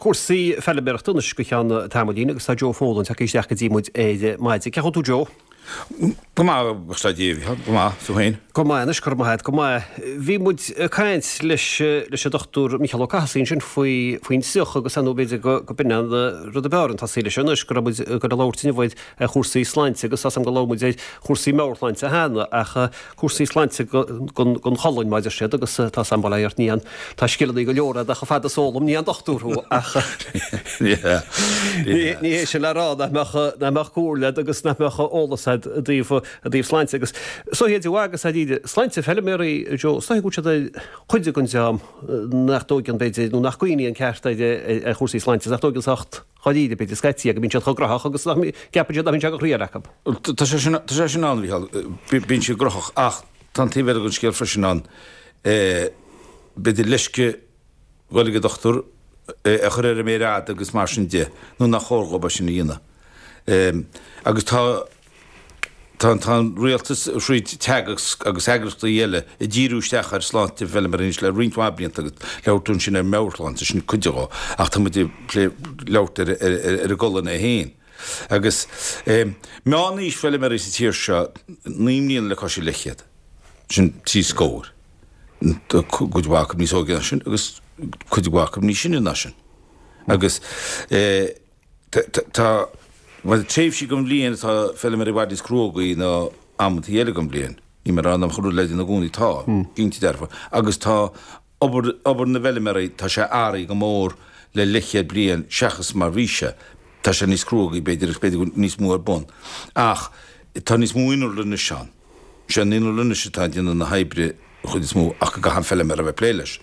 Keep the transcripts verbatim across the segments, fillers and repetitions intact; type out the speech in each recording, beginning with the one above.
Cúrsaí feilméarachta anois go ceann tamaillín agus tá Joe Folan tagtha isteach go dtí muid ar maidin. Cén chaoi a bhfuil tú Joe? Go maith, a Dave, go maith, tú féin? Go maith anois, go raibh maith agat, go maith. Bhí muid ag caint leis leis an Dochtúir Mícheál Ó Cathasaigh ansin faoi faoin triuch agus ar ndóigh b'fhéidir go go b'in an rud ab fhearr an tosaí leis anois go raibh muid ag dul a labhairt inniu ar chúrsaí sláinte agus tá 's agam go labhair muid ar chúrsaí meabhairshláinte cheana ach cúrsaí sláinte gon gon cholainn mar a deir siad agus tá 's agam bail ó Dhia ort ní an tá scileanna go leor agat ach chomh fada is eolam ní aon dochtúir thú ach ní ní hé sin le rá nach mbeadh nach mbeadh comhairle agat agus nach mbeadh eolas agat i dtaobh i dtaobh sláinte agus so hiad agus a sláinte feilméaraí Joe is dóigh go bhfuil siad ar chuid den dream nach dtógann b'fhéidir nó nach gcuimhníonn ceart ar ar chúrsaí sláinte nach dtógann sách dáiríre b'fhéidir scaití go mbíonn siad chomh gnóthach agus nach gceapann siad nach mbíonn sé go thriail acu. Tá sé sin tá sé sin ann Mhícheál bíonn siad gnóthach ach tá an taobh eile den scéal freisin ann b'fhéidir leisce dhul ag an dochtúir a chur ar an méar fhada agus mar sin de nó nach chóir dhóibh é sin a dhéanamh. Agus tá tá tá an rialtas thríd Teagasc agus eagraíochtaí eile ag díriú isteach ar sláinte feilméaraí anois le roinnt mhaith blianta agus labhair tú ansin ar meabhairshláinte sin cuid de ach tá muid ag plé labhairt ar ar ar an gcolainn é féin. Agus meánaois feilméaraí sa tír seo naoi mbliana le cois leathchéad sin trí scór. Tá cuid mhaith acu níos óige ná sin agus cuid mhaith acu níos sine ná sin. Agus tá bhuel tréimhsí den bhliain atá feilméaraí i bhfad níos cruógaí ná amantaí eile den bhliain. Ní mar an rud le déanamh i gcónaí tá, cinnte dearfa. Agus tá obair obair na bhfeilméaraí, tá sé athraithe go mór le leathchéad bliain seachas mar bhí sé. Tá sé níos cruógaí b'fhéidir agus b'fhéidir go bhfuil níos mó ar bun. Ach tá níos mó innealra anois ann. Sé an innealra anois atá ag déanamh na hoibre an chuid is mó ach go gcaithfidh an feilméara a bheith ag plé leis.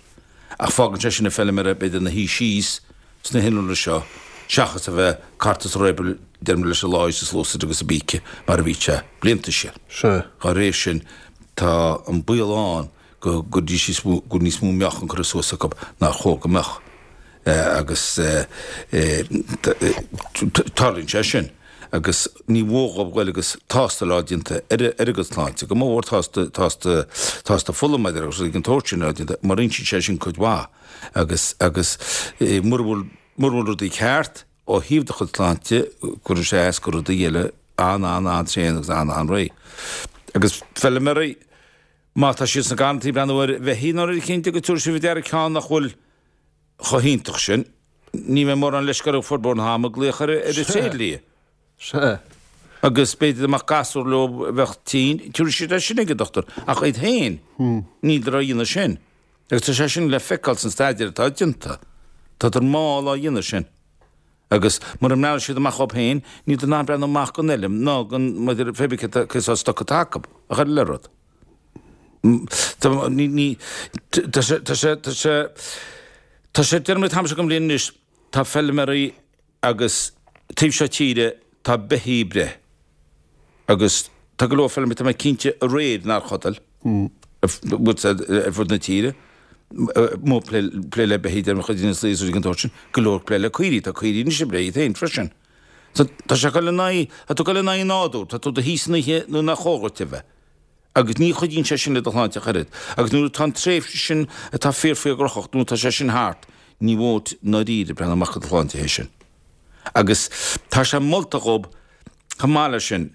Ach fágann sé sin an feilméara b'fhéidir ina shuí síos sna hinnealra seo seachas a bheith cart is réabal deirim leis an láí is an sluasaid agus an bpíce mar a bhí sé blianta siar. Sea. Dá réir sin tá an baol ann go gcuirfidís níos mó go bhfuil níos mó meáchan curtha suas acu nár chóir go mbeadh agus tarlaíonn sé sin agus ní mhór dhóibh goil agus tástáil a fháil déanta ar ar a gcuid sláinte, go mór mhór tástáil tástáil tástáil fola maidir agus rudaí den tsórt sin a fháil déanta mar insíonn sé sin cuid mhaith agus agus mura bhfuil mura bhfuil rudaí ceart ó thaobh do chuid sláinte cuireann sé as go rudaí eile an-an-an-tréan agus an-an-réidh. Agus feilméaraí má tá siad sna garrantaí ag breathnú ar bheithígh nó ar eicínt agus tabharfaidh siad faoi deara ceann nach bhfuil chomh hiontach sin, ní bheidh mórán leisce orthu formhór an ama glaoch ar ar an tréidlia. Sea. Agus b'fhéidir dá mbeadh gasúr leo a bheadh tinn, tabharfaidh siad é sin ag an dochtúir. Ach iad féin, níltear á dhéanamh sin. Agus tá sé sin le feiceáil san staidéar atá déanta. Tádar mall á dhéanamh sin. Agus mura mbreathnóidh siad amach dhóibh féin, níltear in ann breathnú amach don fheilm ná don, maidir le pé bith cé sórt stoc atá acu, ach oiread le rud. Tá, ní, ní, tá sé, tá sé, tá sé, tá sé, déarfaidh mé an t-am seo den bhliain anois, tá feilméaraí agus taobh seo tíre tá beithígh ag breith agus tá go leor feilméaraí, tá mé cinnte, aréir nár chodail ar fud na tíre, amuigh ag plé le beithígh, déarfaidh mé chuid de na slaí is rudaí den tsórt sin, go leor ag plé le caoirigh, tá caoirigh anois ag breith iad féin freisin. So tá sé ag dul in aghaidh, tá tú ag dul in aghaidh an nádúir, tá tú i do shuí san oíche nuair nach chóir dhuit a bheith. Agus ní chuidíonn sé sin le do shláinte ach oiread. Agus nuair atá an tréimhse sin atá fíor fíor gnóthach, nuair atá sé sin thart, ní mhór duit i ndáiríre breathnú amach do do shláinte théis sin. Agus tá sé molta dhób chomh maith leis sin.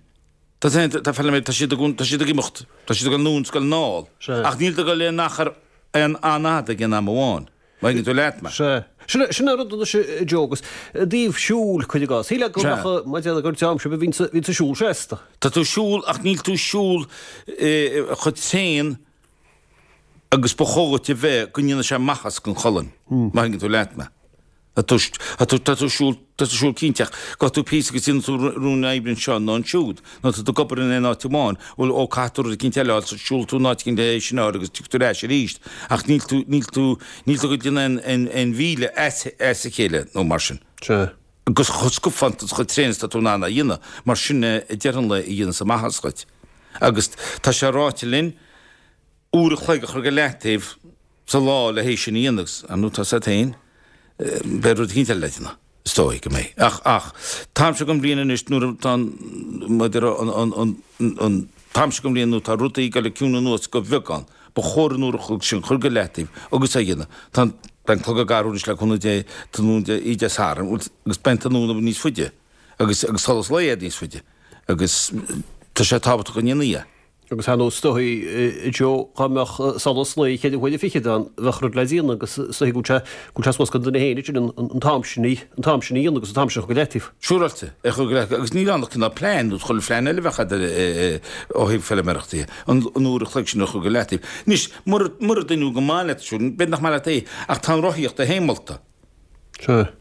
Tá tá feilméaraí, tá siad ag tá siad ag imeacht, tá siad ag dul anonn is ag dul anall. Ach níl ag dul aon achar aon an-fhada ag aon am amháin. Má thuigeann tú leat mé. Sea. Sin sin an rud anois a Joe agus i dtaobh siúil cuir i gcás. Shílfeá go mbeadh mar a déarfá gur dream sibh a bhíonns a bhíonns ag siúl seasta. Tá tú ag siúl ach níl tú ag siúl chomh tréan agus ba chóir dhuit a bheith go ndéanfaidh sé maitheas don cholainn. Má thuigeann tú leat mé. Tá tú, tá tú, tá tú ag siúl, tá tú ag siúl cinnte ach gabhfaidh tú píosa agus déanfaidh tú rún oibre anseo nó ansiúd nó tá tú ag obair in aon áit amháin, bhuel ó caithfidh tú rud eicínt eile a fháil so siúlfaidh tú in áit eicínt é sin a fháil agus tiocfaidh tú ar ais arís ach níl tú, níl tú, níl tú ag déanamh aon, aon, aon mhíle as, as a chéile nó mar sin. Sea. Agus chomh scuabtha is chomh tréan is tá tú in ann a dhéanamh mar sin é i ndeireadh an lae a dhéanas maitheas dhuit. Agus tá sé ráite linn uair a chloig a chur go leataobh sa lá le hé sin a dhéanamh agus, ar ndóigh, tá 's agat féin, beidh rud eicínt eile le déanamh, is dóigh go mbeidh. Ach, ach, t-am seo den bhliain anois nuair atá an, maidir an, an, an, an t-am seo den bhliain nuair atá rudaí ag dul ag ciúnú anuas go beagán, ba chóir an uair a chloig sin a chur go leataobh agus é a dhéanamh. Tá an Beidh an clog ag athrú anois le cúnamh Dé tráthnóna Dé Oíche Dé Sathairn agus beidh an tráthnóna níos faide agus agus solas lae níos faide agus tá sé tábhachtach go ndéanfaí é. Agus ar ndóigh is dóichí a Joe dá mbeadh solas lae ceithre huaire fichead ann bheadh rud le déanamh agus is dóichí go bhfuil sé go bhfuil sé suas don duine féin ansin an an t-am sin an t-am sin a dhéanamh agus an t-am sin a chur go leataobh. Siúráilte, é a chur go leataobh agus níl ann ach cineál plean nó chuile phlean eile a bheadh agat ó thaobh feilméarachta de, an an uair a chloig sin a chur go leataobh. Anois, mura mura dtaitneodh go maith leat siúl, b'fhéidir nach maith leat é ach tá an rothaíocht é féin molta. Sea.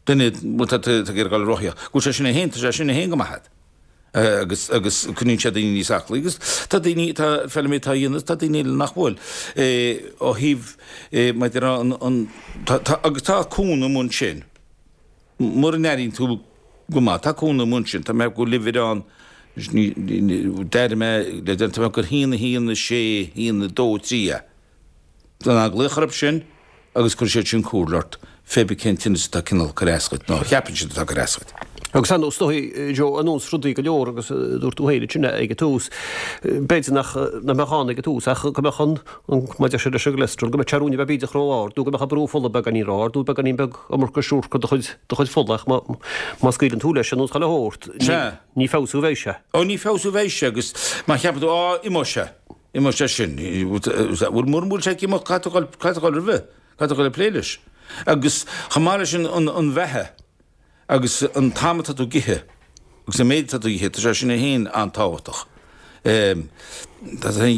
Duine, bhuel tá tú ag iarraidh dul ag rothaíocht, go bhfuil sé sin é féin, tá sé sin é féin go maith agat. agus agus coinníonn sé daoine níos aclaí agus tá daoine tá feilméaraí atá á dhéanamh tá daoine eile nach bhfuil ó thaobh maidir an an tá tá agus tá cúnamh amuigh ansin mura n-airíonn tú go maith tá cúnamh amuigh ansin tá mé go bhfuil uimhir ann d'airigh mé le déanamh tá mé gur haon a haon a sé haon a dó a trí é. Tá glaoch orthu sin agus cuirfidh siad sin comhairle ort fé bith cén tinneas atá cineál ag cur as dhuit nó a cheapann siad atá ag cur as dhuit. Agus ar ndóigh is dóichí, Joe, ar nós rudaí go leor agus dúirt tú féin ansin ag an tús, b'fhéidir nach nach mbeadh ann ag an tús ach go mbeadh an, an, mar a deir siad leis an gcolesterol, go mbeadh sé ruainne beag bídeach ró-ard nó go mbeadh an brú fola beagáinín ró-ard nó beagáinín beag iomarca siúcra i do chuid, do chuid fola ach má, má scaoileann tú leis ar nós chuile shórt, ní, Sea. ní feabhsú a bheidh sé. Ó ní feabhsú a bheidh sé agus má cheapann tú, á, imeoidh sé. Imeoidh sé sin. Bhuel, mura bhfuil sé ag imeacht, caithfidh tú dhul, caithfidh tú dhul roimhe, caithfidh tú dhul ag plé leis. Agus chomh maith leis an, an, an bheatha agus an t-am atá tú ag ithe agus an méid atá tú ag ithe, tá sé sin é féin an-tábhachtach. Tá sé,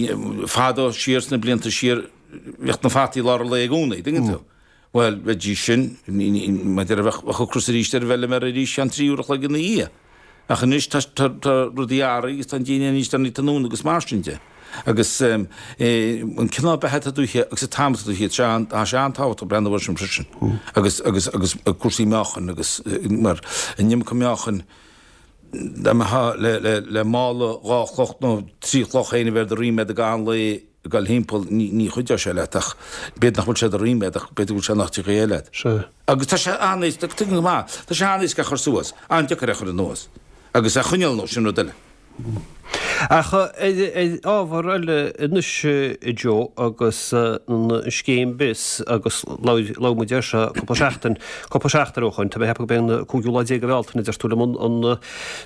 fadó siar sna blianta siar, bhíodh na fataí i lár an lae i gcónaí, dtuigeann tú? Bhuel, bheidís sin, maidir a bheadh ocras arís ar an bhfeilméara arís ceann trí uair a chloig ina dhiaidh. Ach anois tá rudaí athraithe agus tá an DNA níos deireanaí tráthnóna agus mar sin de. Agus an cineál beatha atá tú a ithe agus an t-am atá tú a ithe, tá sé an-tábhachtach breathnú air sin freisin. Agus agus agus cúrsaí meáchain agus mar an iomarca meáchain dá mbeifeá le le le mála dhá chloch nó trí chloch féin a bheith ar do ríméad ag an lae ag dul thimpeall, ní ní chuideodh sé leat ach b'fhéidir nach bhfuil sé do ríméad ach b'fhéidir go bhfuil sé nach dtiocfaidh é leat. Sea. Agus tá sé an-éasca, tuigim go maith, tá sé an-éasca a chur suas, an-deacair é a chur anuas. Agus a choinneáil anuas, sin rud eile. Ach ar ábhar eile anois, a Joe, agus an scéim BIS agus labhair muid air seo cúpla seachtain, cúpla seachtain ó shoin, tá mé ag ceapadh gurb é an cúigiú lá déag de Bhealtaine, a deir tú liom, an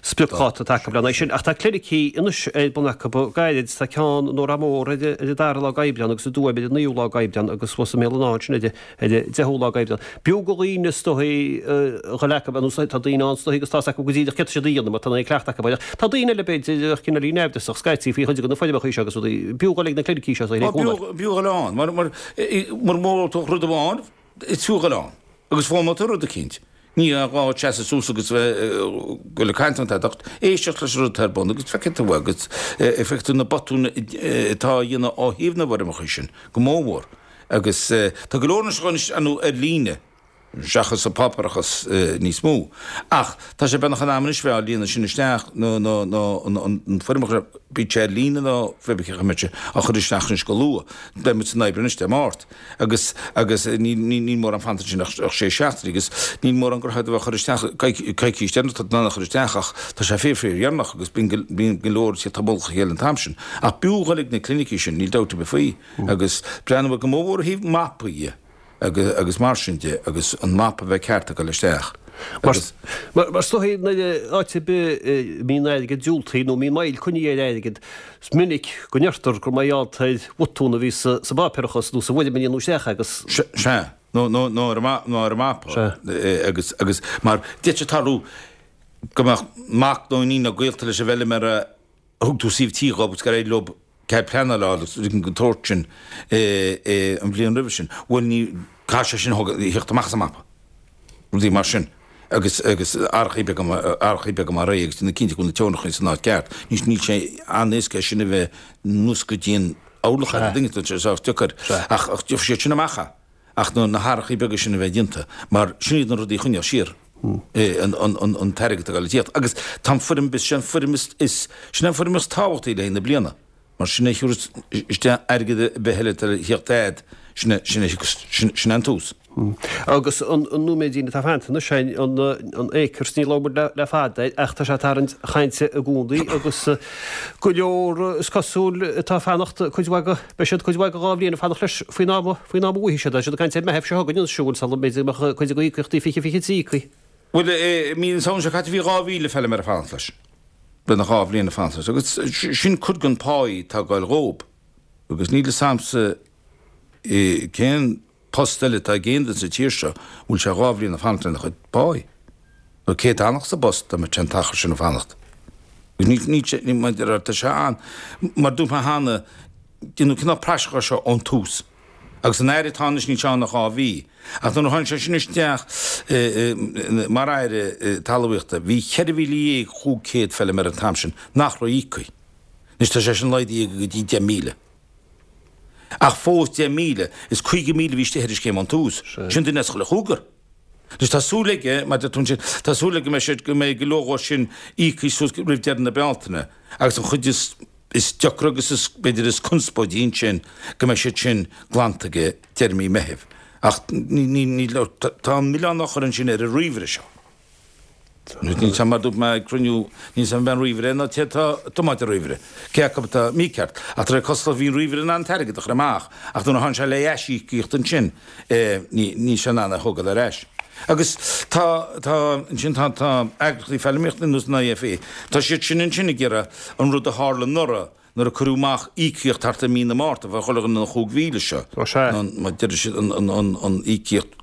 spriocdháta atá acu lena aghaidh sin. Ach tá clinicí anois ar bun acu go gairid, tá ceann i nDórtha Mór ar an dara lá d'Aibreán agus i dTuaim ar an naoú lá d'Aibreán agus thuas i mBéal an Átha ansin ar Ar an deichiú lá d'Aibreán. B'fhiú do dhaoine is dóichí a dhul acu, ar nós tá daoine ann is dóichí agus tá's acu go díreach céard tá siad a dhéanamh mar tá an cleachtadh acu air. Tá daoine eile b'fhéidir a bheadh cineáilín naimhdeasach scaití faoi chuid de na foirmeacha seo agus rudaí. B'fhiú dhul ag na clinicí seo is dóichí le cúnamh. B'fhiú dhul ann. Mar mar mura bhfoghlaimeoidh tú rud amháin, is fiú dhul ann. Agus foghlaimeoidh tú rud eicínt. Ní gá duit seasamh suas agus bheith ag dul ag caint an t-ach éisteacht leis an rud atá ar bun agus feicfidh tú agus feicfidh tú na botúin atá á dhéanamh ó thaobh na bhfoirmeacha sin go mórmhór. Agus tá go leor anois ar ndóigh ar líne, seachas an páipéarachas níos mó. Ach tá sé beagnach in am anois bheith á líonadh sin isteach, nó nó nó an foirmeacha, bíodh sé ar líne nó pé bith cén chaoi a mbeidh sé á chur isteach anois go luath. Beidh muid san Aibreán anois, Dé Máirt. Agus agus níl níl mórán fanta ansin ach ach sé seachtainí agus níl mórán gur a bheith á chur isteach coicís deireanach tá tú in ann a chur isteach ach tá sé fíor fíor dheireanach agus bíonn bíonn go leor ag tíocht i mullach a chéile an t-am sin. Ach b'fhiú dhul ag na clinicí sin, níl dabht ar bith faoi. Agus breathnú go mórmhór ó thaobh mapaí de agus mar sin de agus an mapa a bheith ceart ag dul isteach. Agus. Mar is dóichí nuair áit ar bith a mbíonn airgead diúltaithe nó a mbíonn moill coinnithe ar airgead, is minic go ndeirtear gur mar gheall ar bhotún a bhí sa bpáipéarachas nó sa bhfoirm a líonadh isteach agus. Sea, nó nó ar an mapa. Sea. Agus agus mar d'fhéadfadh sé tarlú go mbeadh mac nó iníon nó gaolta leis an bhfeilméara a thug tú suíomh tí dhóibh agus gur éirigh leo cead pleanála a fháil agus rudaí den tsórt sin an bhliain roimhe sin. Bhuel, ní, caithfidh sé sin a theacht amach as an mapa. Rudaí mar sin. Agus, agus athrachaí beaga, athrachaí beaga mar é agus déanamh cinnte go bhfuil na teorainneacha san áit ceart. Ní, níl sé an-éasca é sin a bheith anuas go dtí an orlach ar an duine, tá sé sách deacair. Ach, ach gheobhaidh siad sin amach é. Ach na hathrachaí beaga sin a bheith déanta, mar sin iad na rudaí a choinneodh siar an t-airgead ag dul ag tíocht. Agus tá an foirm, sin an foirm is, sin an foirm is tábhachtaí le haghaidh na bliana, mar sin é a thiúrfas isteach airgead ar bith eile atá le theacht agat, sin é, sin é, sin é an tús. Agus an nóiméidín atá fanta anois sin an Acres, ní labhair muid le fada air ach tá sé ag tarraingt chainte i gcónaí agus go leor is cosúil atá ag fanacht cuid mhaith go, beidh siad cuid mhaith go dhá bhliain ag fanacht leis faoin am, faoin am a bhfaighidh siad é. Tá siad ag caint ar Meitheamh seo chugainn anois siúl sula mb'fhéidir go mbeadh cuid de íocaíochtaí fiche fiche trí íoctha. Bhuel, i mí na Samhna seo caite bhí dhá mhíle feilméara ag fanacht leis. Beagnach dhá bhliain ag fanacht leis agus sin cuid den pháí atá ag goil dhób agus níl fhios a'msa cén post eile atá ag aon duine sa tír seo a bhfuil sé dhá bhliain ag fanacht lena chuid páí. Nó cé a d'fhanfadh sa bpost dá mbeadh sé an t-achar sin ag fanacht? Agus níl, níl sé, ní, mar tá sé an, mar dúirt mé cheana, déanadh cineál praiseach air seo ón tús. Agus an Aire atá anois níl sé ann ach dhá mhí. Ach nuair a tháinig sé sin isteach mar Aire Talmhaíochta, bhí ceithre mhíle dhéag chúig chéad feilméara an t-am sin nach raibh íoctha. Anois tá sé sin laghdaithe go dtí deich míle. Ach fós deich míle, is caoga míle a bhí istigh ar an scéim ón tús. Sin duine as chuile chúigear. Anois tá súil aige, mar deir tú ansin, tá súil aige go mbeidh siad, go mbeidh go leor dhó sin íoctha suas roimh deireadh na Bealtaine agus an chuid is, is deacra agus is, b'fhéidir is conspóidí ansin, go mbeidh siad sin glanta aige deireadh mí Meithimh. Ach ní, ní, ní, tá an milleán á chur ansin ar an ríomhaire seo. Níl 'fhios a'm, mar dúirt mé ag cruinniú, níl 'fhios a'm an ríomhaire nó cé atá ag tiomáint an ríomhaire, cé acu atá mícheart. Ach de réir cosúlachta bhí an ríomhaire in ann an t-airgead a chur amach ach nuair a tháinig sé le aisíocaíocht ansin níl sé in ann é a thógáil ar ais. Agus tá, tá, ansin tá, tá eagraíochtaí feilméaraíochta ar nós an IFA, tá siad sin ansin ag iarraidh an rud a tharla anuraidh, Nuair a cuireadh amach íocaíocht thart ar mí na Márta, bheadh chuile dhuine na chúig mhíle seo, Ó sea. nó mar deir siad an, an, an, an íocaíocht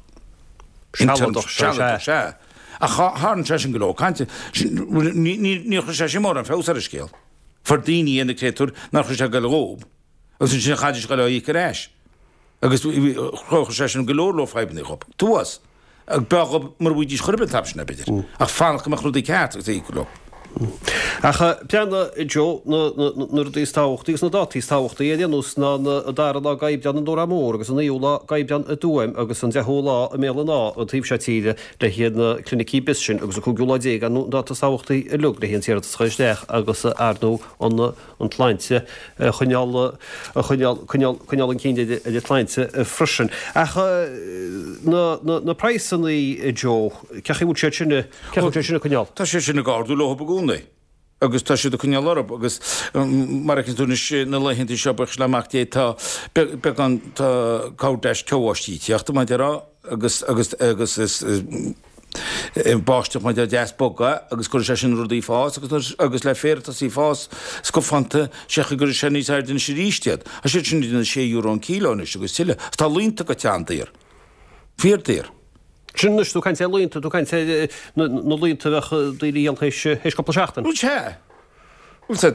Sealadach seo, sealadach, sea. sea. Ach tharraing sé sin go leor cainte. Ní, ní, níor chuir sé sin mórán feabhas ar an scéal. Fuair daoine é na créatúir nár chuir sé ag goil dhób, agus ansin chaithfidís a ghoil á íoc ar ais. Agus chuir sé sin go leor leor fadhbanna dhób. Tuas. B'fhearr dhób mura bhfaighidís chor ar bith an t-am sin, b'fhéidir. Ach fanacht go mbeadh rudaí ceart agus é íoc leo. Ach breathnaigh, Joe, na rudaí is tábhachtaí agus na dátaí is tábhachtaí ar aon nós ná an dara lá d'Aibreán i nDórán Mór agus an naoú lá d'Aibreán i dTuaim agus an deichiú lá i mBéal an Átha an taobh seo tíre le haghaidh na clinicí Bios sin agus an cúigiú lá déag ar ndóigh an dáta is tábhachtaí uilig le haghaidh an t-iarratas a chur isteach agus ar ndóigh an an tsláinte a choinneáil, a choinneáil, coinneáil, coinneáil an cinn ar an tsláinte freisin. Ach na, na, na praghsanna, Joe, cén chaoi a bhfuil siad sin, cén chaoi a bhfuil siad sin ag coinneáil? Tá siad sin ag ardú leo i gcónaí agus tá siad ag coinneáil orthu agus mar a fheiceann tú anois na laethanta seo, buíochas le Mac Dé, tá beagán, tá corr deis ceo-bháistí ag tíocht, mar a déarfá, agus, agus, agus is, báisteach mar deas bog é agus cuirfidh sé sin rudaí ag fás agus agus le féar ag tosaí ag fás scafánta sé chaoi go gcuirfidh sé níos airde anois arís iad. Tá siad sin idir sé euro an kilo anois agus tuilleadh. Agus tá laonta goite an-daor. Fíor daor. Sin anois tú ag caint ar laonta, tú ag caint ar na laonta a bheadh daoine a dhíol théis cúpla seachtain. Bhuel sea. Bhuel sea,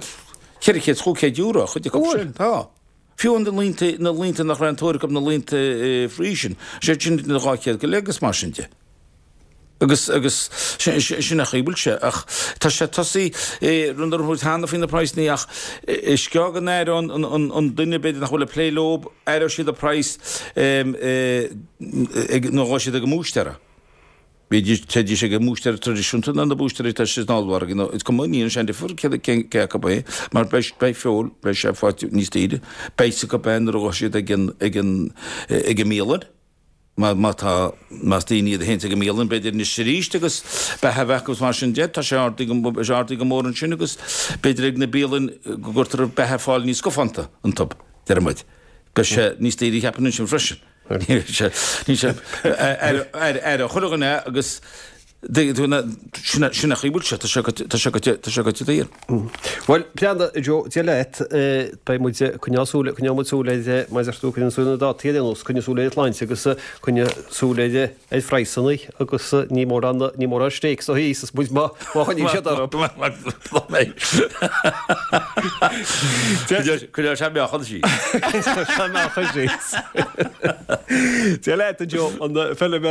ceithre chéad is chúig chéad euro chuid acu sin. Tá. Fiú na laonta, na laonta nach raibh aon tóir acu, na laonta Friesian, sé sin idir dhá chéad go leith agus mar sin de. Agus, agus, sin, sin an chaoi a bhfuil sé. Ach tá sé tosaí, rud a raibh muid cheana faoi na praghsanna ach is gearr go n-aireoidh an, an, an duine b'fhéidir nach bhfuil ag plé leo, aireoidh siad an praghas ag, nuair a ghabhfaidh siad ag an mbúistéara. Bídís, téidís ag an mbúistéir traidisiúnta nó na búistéirí atá sna hollmhargaí nó is cuma, ní dhéanann sé aon difear cé, cé, cé acu é, mar beidh, beidh feoil, beidh sé faighte níos daoire, beidh 's acu é nuair a ghabhfaidh siad ag an, ag an, ag an mbialann, má, má tá, más daoine iad a théanns ag an mbialann b'fhéidir anois arís agus beatha a bheith acu agus mar sin de, tá sé ardaithe go, beidh sé ardaithe go mór ansin agus b'fhéidir ag na bialann go gcuirtear beatha ar fáil níos scafánta iontub, deir muid. Beidh sé níos daoire cheapfainn ansin freisin. Níl sé ar chuile dhuine agus sin an chaoi a bhfuil sé, tá sé goite daor. Bhuel, breathnaigh, Joe, Dia leat, beidh muid ag coinneáil súil, coinneoidh muid súil ar, mar a deir tú, coinneoidh súil ar na dátaí ar aon nós, coinneoidh súil ar an tsláinte agus coinneoidh súil ar ar phraghsanna agus ní mórán, ní mórán steaks a íosfas muid má choinníonn siad orthu. Coinneoidh sé meáchan síos. Coinneoidh sé meáchan síos. Dia leat, a Joe, an feilméara.